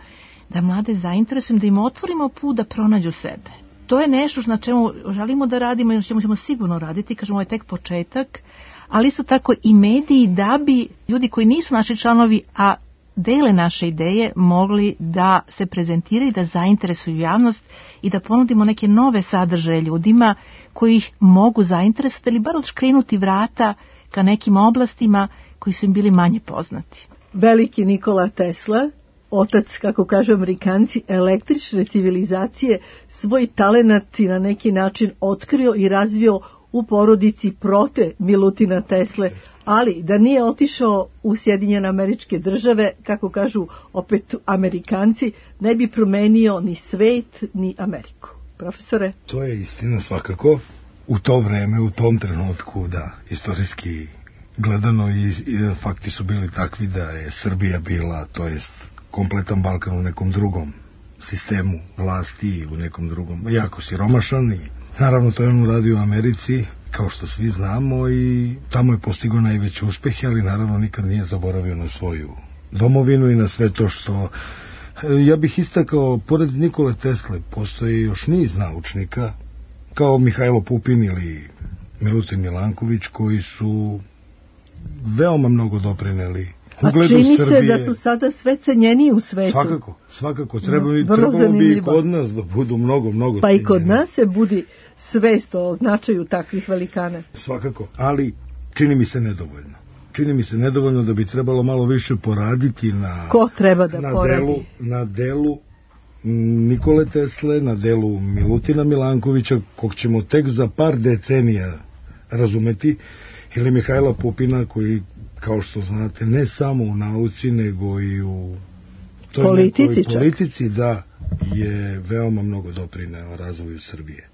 Speaker 5: da mlade zainteresujemo, da im otvorimo put da pronađu sebe. To je nešto na čemu želimo da radimo i na čemu ćemo sigurno raditi, kažemo, ovo je tek početak, ali isto tako i mediji, da bi ljudi koji nisu naši članovi, a dele naše ideje, mogli da se prezentiraju, da zainteresuju javnost i da ponudimo neke nove sadržaje ljudima koji ih mogu zainteresovati ili bar odškrinuti vrata ka nekim oblastima koji su im bili manje poznati.
Speaker 1: Veliki Nikola Tesla, otac, kako kažu Amerikanci, električne civilizacije, svoj talenat i na neki način otkrio i razvio u porodici prote Milutina Tesle, ali da nije otišao u Sjedinjene Američke Države, kako kažu opet Amerikanci, ne bi promenio ni svet, ni Ameriku. Profesore?
Speaker 3: To je istina svakako. U to vreme, u tom trenutku, da, istorijski gledano i, i fakti su bili takvi da je Srbija bila, to jest kompletan Balkan u nekom drugom sistemu vlasti, u nekom drugom, jako siromašan i naravno to je on uradio u Americi, kao što svi znamo, i tamo je postigao najveće uspehe, ali naravno nikad nije zaboravio na svoju domovinu i na sve to što... Ja bih istakao, pored Nikole Tesle, postoji još niz naučnika, kao Mihajlo Pupin ili Milutin Milanković, koji su veoma mnogo doprineli ugledu Srbije.
Speaker 1: A čini se da su sada sve cenjeniji u svetu.
Speaker 3: Svakako, svakako. Treba, no, trebalo bi i kod nas da budu mnogo, mnogo
Speaker 1: Pa cenjeni. I kod nas se budi svest o značaju takvih velikana.
Speaker 3: Svakako, ali čini mi se nedovoljno. Čini mi se nedovoljno da bi trebalo malo više poraditi na...
Speaker 1: Ko treba da
Speaker 3: na
Speaker 1: poradi?
Speaker 3: Delu, na delu Nikole Tesle, na delu Milutina Milankovića, kog ćemo tek za par decenija razumeti, ili Mihajla Pupina, koji, kao što znate, ne samo u nauci, nego i u toj
Speaker 1: politici,
Speaker 3: nekoj politici, da, je veoma mnogo doprineo razvoju Srbije.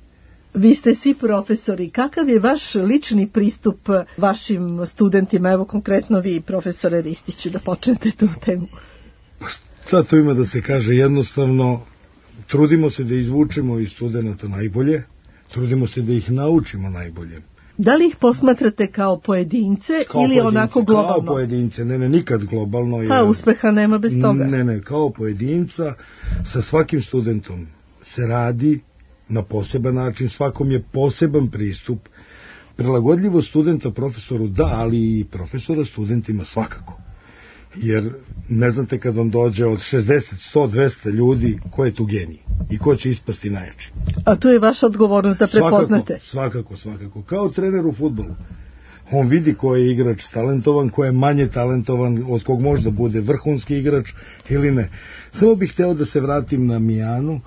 Speaker 1: Vi ste svi profesori. Kakav je vaš lični pristup vašim studentima? Evo konkretno vi, profesore Ristiću, da počnete tu temu.
Speaker 3: Pa šta to ima da se kaže? Jednostavno, trudimo se da izvučemo iz studenta najbolje, trudimo se da ih naučimo najbolje.
Speaker 1: Da li ih posmatrate kao pojedince
Speaker 3: kao
Speaker 1: ili
Speaker 3: pojedince,
Speaker 1: onako globalno?
Speaker 3: Kao pojedince, ne, ne, nikad globalno.
Speaker 1: Pa jer, uspeha nema bez toga.
Speaker 3: Ne, ne, kao pojedinca, sa svakim studentom se radi na poseban način, svakom je poseban pristup. Prilagodljivo studenta profesoru da, ali i profesora studentima svakako. Jer ne znate kad vam dođe od šezdeset, sto, dvesta ljudi ko je tu genij i ko će ispasti najjači.
Speaker 1: A to je vaša odgovornost da prepoznate.
Speaker 3: Svakako, svakako, svakako. Kao trener u fudbalu. On vidi ko je igrač talentovan, ko je manje talentovan, od kog možda bude vrhunski igrač ili ne. Samo bih hteo da se vratim na Mijanu.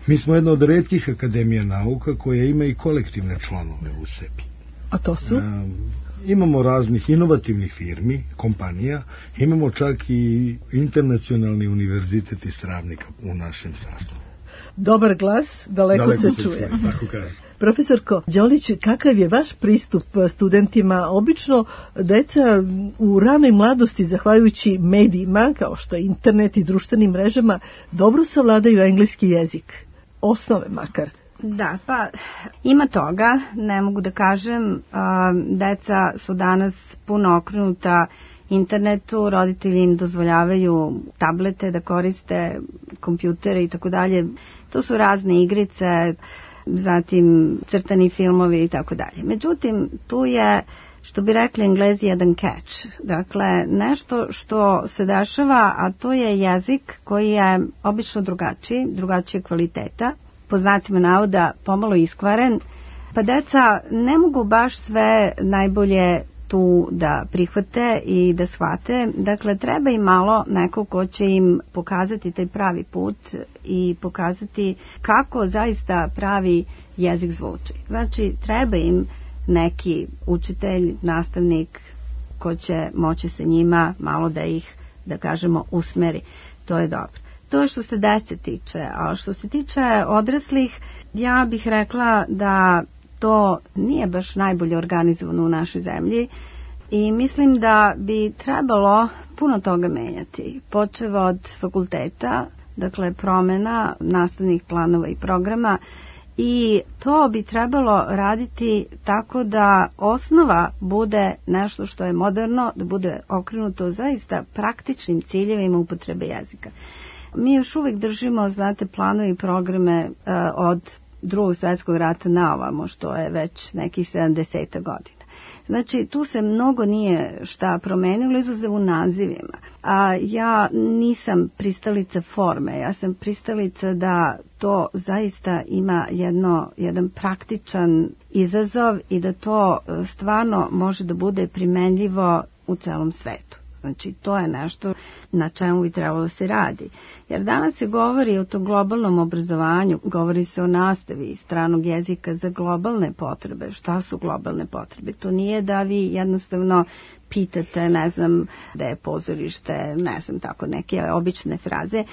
Speaker 3: Mi smo jedna od retkih akademija nauka koja ima i kolektivne članove u sebi.
Speaker 1: A to su?
Speaker 3: A, imamo raznih inovativnih firmi, kompanija, imamo čak i internacionalni univerzitet iz Travnika u našem sastavu.
Speaker 1: Dobar glas, daleko, daleko se, se čuje. čuje
Speaker 3: tako kaže.
Speaker 1: Profesorko Đolić, kakav je vaš pristup studentima? Obično deca u ranoj mladosti, zahvaljujući medijima, kao što je internet i društvenim mrežama, dobro savladaju engleski jezik. Osnove makar.
Speaker 4: Da, pa ima toga, ne mogu da kažem, a, deca su danas puno okrenuta internetu, roditelji im dozvoljavaju tablete da koriste, kompjutere i tako dalje. To su razne igrice, zatim crtani filmovi i tako dalje. Međutim, tu je, što bi rekli Englezi, jedan catch. Dakle, nešto što se dešava, a to je jezik koji je obično drugačiji, drugačije kvaliteta, po znacima navoda pomalo iskvaren, pa deca ne mogu baš sve najbolje tu da prihvate i da shvate. Dakle, treba im malo neko ko će im pokazati taj pravi put i pokazati kako zaista pravi jezik zvuči. Znači, treba im neki učitelj, nastavnik ko će moći se njima malo da ih, da kažemo, usmeri. To je dobro. To je što se dece tiče, a što se tiče odraslih, ja bih rekla da to nije baš najbolje organizovano u našoj zemlji i mislim da bi trebalo puno toga menjati, počev od fakulteta, dakle promjena nastavnih planova i programa, i to bi trebalo raditi tako da osnova bude nešto što je moderno, da bude okrenuto zaista praktičnim ciljevima upotrebe jezika. Mi još uvijek držimo, znate, planove i programe uh, od drugog svjetskog rata na ovamo, što je već nekih sedamdeset godina. Znači, tu se mnogo nije šta promenilo, izuzev u nazivima. A ja nisam pristalica forme, ja sam pristalica da to zaista ima jedno, jedan praktičan izazov i da to stvarno može da bude primenljivo u celom svetu. Znači, to je nešto na čemu bi trebalo se radi. Jer danas se govori o tom globalnom obrazovanju, govori se o nastavi stranog jezika za globalne potrebe. Šta su globalne potrebe? To nije da vi jednostavno pitate, ne znam, da je pozorište, ne znam, tako neke obične fraze.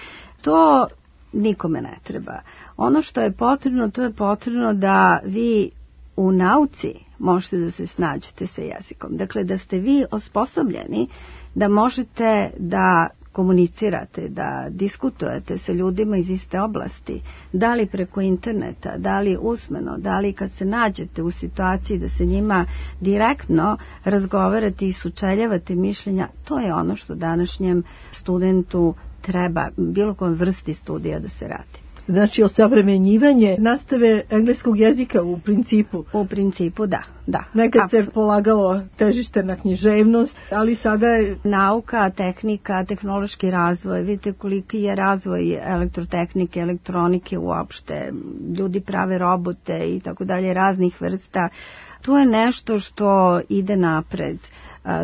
Speaker 4: To nikome ne treba. Ono što je potrebno, to je potrebno da vi u nauci možete da se snađete sa jezikom. Dakle, da ste vi osposobljeni da možete da komunicirate, da diskutujete sa ljudima iz iste oblasti, da li preko interneta, da li usmeno, da li kad se nađete u situaciji da se njima direktno razgovarate i sučeljavate mišljenja, to je ono što današnjem studentu treba, bilo kom vrsti studija da se radi.
Speaker 1: Znači, osavremenjivanje nastave engleskog jezika u principu.
Speaker 4: U principu, da. da.
Speaker 1: Nekad Absolut. se polagalo težište na književnost, ali sada je
Speaker 4: nauka, tehnika, tehnološki razvoj. Vidite koliki je razvoj elektrotehnike, elektronike uopšte. Ljudi prave robote i tako dalje, raznih vrsta. To je nešto što ide napred.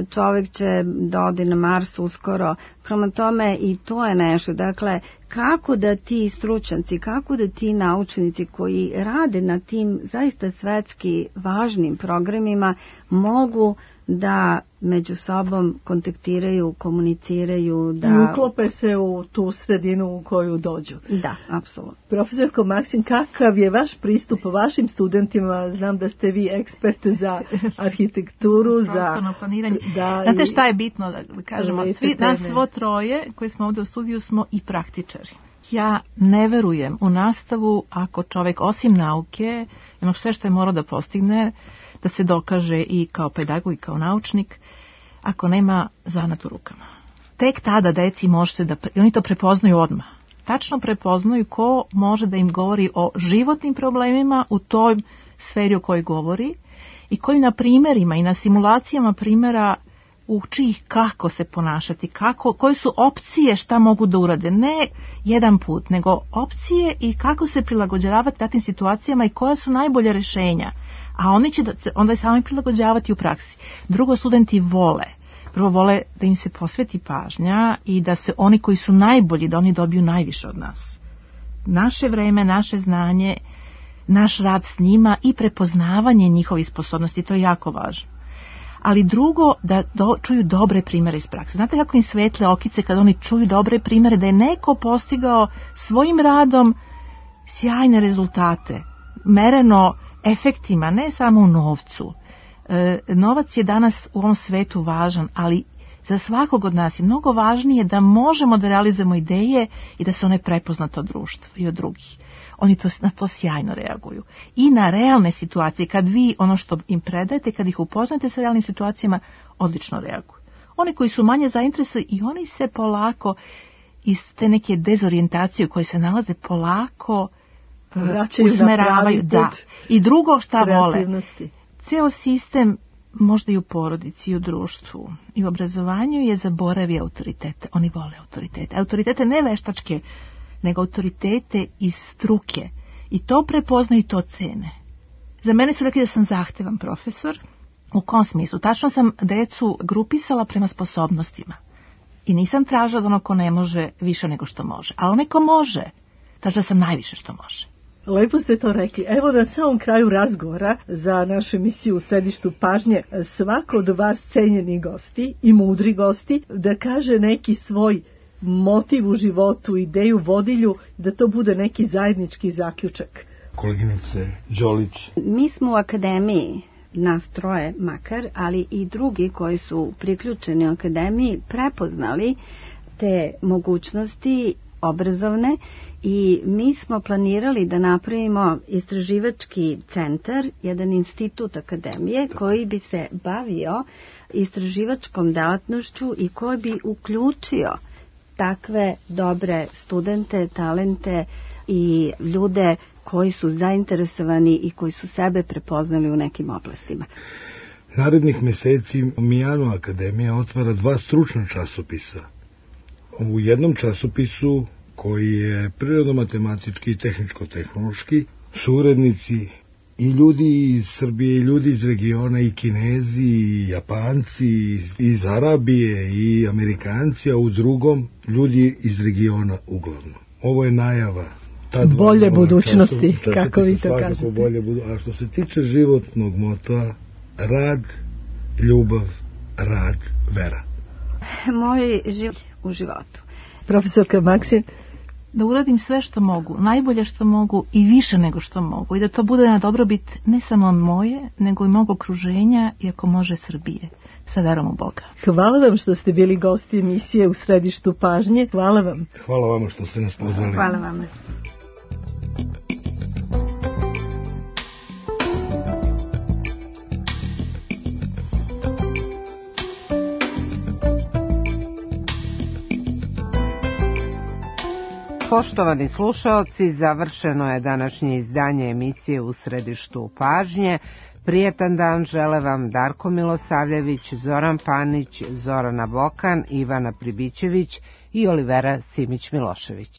Speaker 4: Čovjek će da ode na Mars uskoro, prema tome i to je nešto. Dakle, kako da ti stručnjaci, kako da ti naučnici koji rade na tim zaista svetski važnim programima mogu da među sobom kontaktiraju, komuniciraju, da
Speaker 1: i uklope se u tu sredinu u koju dođu.
Speaker 4: Da, apsolutno.
Speaker 1: Profesorko Maksin, kakav je vaš pristup vašim studentima? Znam da ste vi ekspert za arhitekturu, za
Speaker 5: prostorno planiranje.
Speaker 1: Da,
Speaker 5: znate
Speaker 1: i,
Speaker 5: šta je bitno da kažemo? Svi nas svo troje koji smo ovdje u studiju smo i praktičari. Ja ne verujem u nastavu ako čovjek osim nauke, ono sve što je morao da postigne, da se dokaže i kao pedagog i kao naučnik, ako nema zanat u rukama. Tek tada deci možete da, oni to prepoznaju odmah. Tačno prepoznaju ko može da im govori o životnim problemima u toj sferi o kojoj govori i koji na primjerima i na simulacijama primjera uči ih kako se ponašati, kako, koje su opcije šta mogu da urade. Ne jedan put, nego opcije i kako se prilagođavati takvim situacijama i koja su najbolje rješenja. A oni će da, onda i sami prilagođavati u praksi. Drugo, studenti vole. Prvo vole da im se posveti pažnja i da se oni koji su najbolji, da oni dobiju najviše od nas. Naše vreme, naše znanje, naš rad s njima i prepoznavanje njihovih sposobnosti, to je jako važno. Ali drugo, da do, čuju dobre primjere iz prakse. Znate kako im svetle okice kad oni čuju dobre primjere, da je neko postigao svojim radom sjajne rezultate, mereno efektima, ne samo u novcu. E, novac je danas u ovom svetu važan, ali za svakog od nas je mnogo važnije da možemo da realizujemo ideje i da se one prepoznate od društva i od drugih. Oni to, na to sjajno reaguju. I na realne situacije, kad vi ono što im predajete, kad ih upoznate sa realnim situacijama, odlično reaguju. Oni koji su manje zainteresovani i oni se polako iz te neke dezorijentacije u kojoj se nalaze polako
Speaker 1: vraćaju
Speaker 5: usmeravaju. Da. I drugo šta vole. Ceo sistem, možda i u porodici, i u društvu, i u obrazovanju je zaboravio autoritete. Oni vole autoritete. Autoritete ne veštačke, nego autoritete iz struke. I to prepoznaju i to cene. Za mene su rekli da sam zahtevan profesor. U kom smislu? Tačno sam decu grupisala prema sposobnostima. I nisam tražila da ono ko ne može više nego što može. A onaj ko može, tražila sam najviše što može.
Speaker 1: Lepo ste to rekli. Evo na samom kraju razgovora za našu emisiju u središtu pažnje svako od vas cenjeni gosti i mudri gosti da kaže neki svoj motiv u životu, ideju, vodilju, da to bude neki zajednički zaključak.
Speaker 3: Koleginice Đolić.
Speaker 4: Mi smo u akademiji, nas troje makar, ali i drugi koji su priključeni u akademiji prepoznali te mogućnosti obrazovne i mi smo planirali da napravimo istraživački centar, jedan institut akademije koji bi se bavio istraživačkom delatnošću i koji bi uključio takve dobre studente, talente i ljude koji su zainteresovani i koji su sebe prepoznali u nekim oblastima.
Speaker 3: Narednih meseci Mijano Akademija otvara dva stručna časopisa. U jednom časopisu koji je prirodno-matematički i tehničko-tehnološki, su urednici i ljudi iz Srbije, i ljudi iz regiona, i Kinezi, i Japanci, i iz Arabije, i Amerikanci, a u drugom ljudi iz regiona uglavnom. Ovo je najava ta dva
Speaker 1: bolje budućnosti,
Speaker 3: času, času,
Speaker 1: kako vi to kažete.
Speaker 3: Bolje budu... A što se tiče životnog motora, rad, ljubav, rad, vera.
Speaker 4: Moj život u životu.
Speaker 1: Profesorka Maksin.
Speaker 5: Da uradim sve što mogu, najbolje što mogu i više nego što mogu i da to bude na dobrobit ne samo moje, nego i mog okruženja i ako može Srbije. Sa verom u Boga.
Speaker 1: Hvala vam što ste bili gosti emisije u središtu pažnje. Hvala vam.
Speaker 3: Hvala vam što ste nas pozvali.
Speaker 4: Hvala vam.
Speaker 2: Poštovani slušaoci, završeno je današnje izdanje emisije u središtu pažnje. Prijetan dan žele vam Darko Milosavljević, Zoran Panić, Zorana Bokan, Ivana Pribićević i Olivera Simić-Milošević.